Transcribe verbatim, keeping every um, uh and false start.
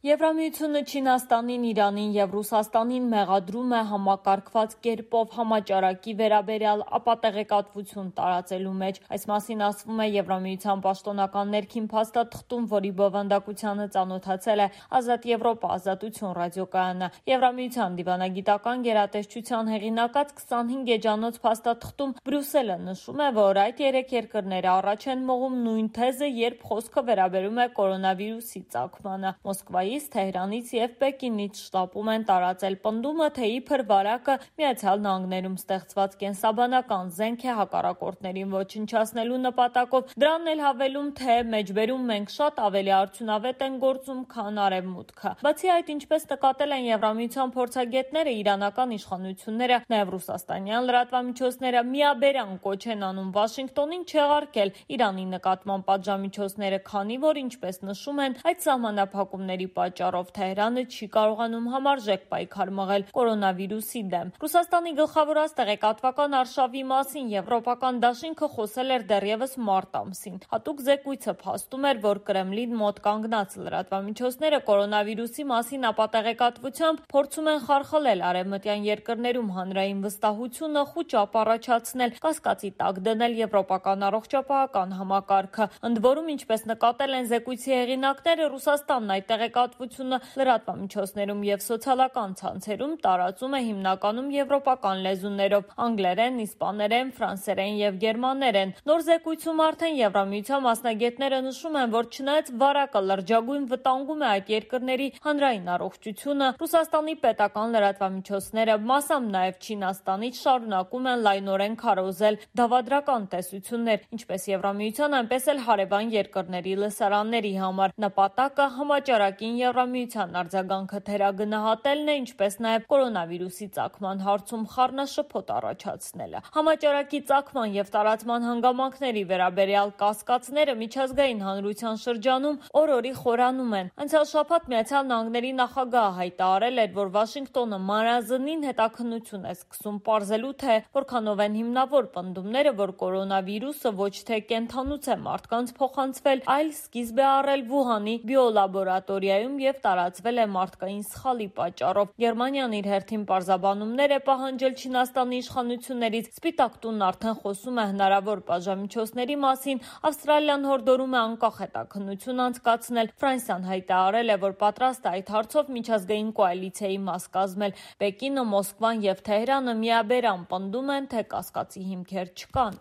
Եվրամիությունը Չինաստանին, Իրանին և Ռուսաստանին մեղադրում է համակարգված կերպով համաճարակի վերաբերյալ ապատեղեկատվություն տարածելու մեջ։ Այս մասին ասվում է Եվրամիության պաշտոնական ներքին փաստաթղթում, որի բովանդակությանը ծանոթացել է Ազատ Եվրոպա Ազատություն ռադիոկայանը։ Եվրամիության դիվանագիտական գերատեսչության հեղինակած քսանհինգ էջանոց փաստաթղթում Բրյուսելը նշում է, որ այդ երեք երկրները առաջ են մղում նույն թեզը, երբ խոսքը վերաբերում է կորոնավիրուսի ծագմանը։ Մոսկվայի Թեհրանից և Պեկինից շտապում են տարածել պնդումը, թե իբր վարակը Միացյալ Նահանգներում ստեղծված կենսաբանական զենք է հակառակորդներին ոչնչացնելու նպատակով, դրան էլ հավելում, թե մեջբերում մենք շատ ավելի արդյունավետ են գործում, քան Արևմուտքը։ Բացի այդ, ինչպես նկատել են Եվրամիության փորձագետները, իրանական իշխանությունները, նաև ռուսաստանյան լրատվամիջոցները միաբերան կոչ են անում Վաշինգտոնին չեղարկել Իրանի նկատմամբ պատժամիջոցները, քանի որ, ինչպես նշում են, այդ սահմանափակումների պատճառով Թեհրանը չի կարողանում համարժեք պայքար մղել կորոնավիրուսի դեմ։ Ռուսաստանի գլխավորած տեղեկատվական արշավի մասին եվրոպական դաշինքը խոսել էր դեռևս մարտ ամսին։ Հատուկ զեկույցը փաստում էր, որ Կրեմլին մոտ կանգնած լրատվամիջոցները կորոնավիրուսի մասին ապատեղեկատվությամբ փորձում են խարխլել արևմտյան երկրներում հանրային վստահությունը, խուճապ առաջացնել, կասկածի տակ դնել եվրոպական առողջապահական համակարգը։ Ընդ որում, ինչպես նկատել են զեկույցի հեղինակները, Ռուսաստանն այդ տեղեկատվությունը լրատվամիջոցներում և սոցիալական ցանցերում տարածում է հիմնականում եվրոպական լեզուներով՝ անգլերեն, իսպաներեն, ֆրանսերեն և գերմաներեն։ Նոր զեկույցում արդեն Եվրամիության մասնագետները նշում են, որ չնայած վարակը լրջագույն վտանգում է այդ երկրների հանրային առողջությունը, Ռուսաստանի պետական լրատվամիջոցները, մասամբ նաև Չինաստանից, շարունակում են լայնորեն քարոզել դավադրական տեսություններ, ինչպես Եվրամիության, այնպես էլ հարևան երկրների լսարանների համար։ Նպատակը համաճարակին Եվրամիության արձագանքը թերագնահատելն է, ինչպես նաև կորոնավիրուսի ծագման հարցում խառնաշփոթ առաջացնելը։ Համաճարակի ծագման և տարածման հանգամանքների վերաբերյալ կասկածները միջազգային հանրության շրջանում օր-օրի խորանում են։ Անցյալ շաբաթ Միացյալ Նահանգների նախագահը հայտարարել էր, որ Վաշինգտոնը մանրազնին հետաքննություն է սկսում պարզելու, թե որքանով են հիմնավոր պնդումները, որ կորոնավիրուսը ոչ թե կենդանուց է մարդկանց փոխանցվել, այլ սկիզբ է առել Վուհանի բիոլաբորատորիայում և տարածվել է մարդկային սխալի պատճառով։ Գերմանիան իր հերթին պարզաբանումներ է պահանջել Չինաստանի իշխանություններից։ Սպիտակ տունն արդեն խոսում է հնարավոր պատժամիջոցների մասին։ Ավստրալիան հորդորում է անկախ հետաքննություն անցկացնել։ Ֆրանսիան հայտարարել է, որ պատրաստ է այդ հարցով միջազգային կոալիցիայի մաս կազմել։ Պեկինը, Մոսկվան և Թեհրանը միաբերան պնդում են, թե կասկածի հիմքեր չկան։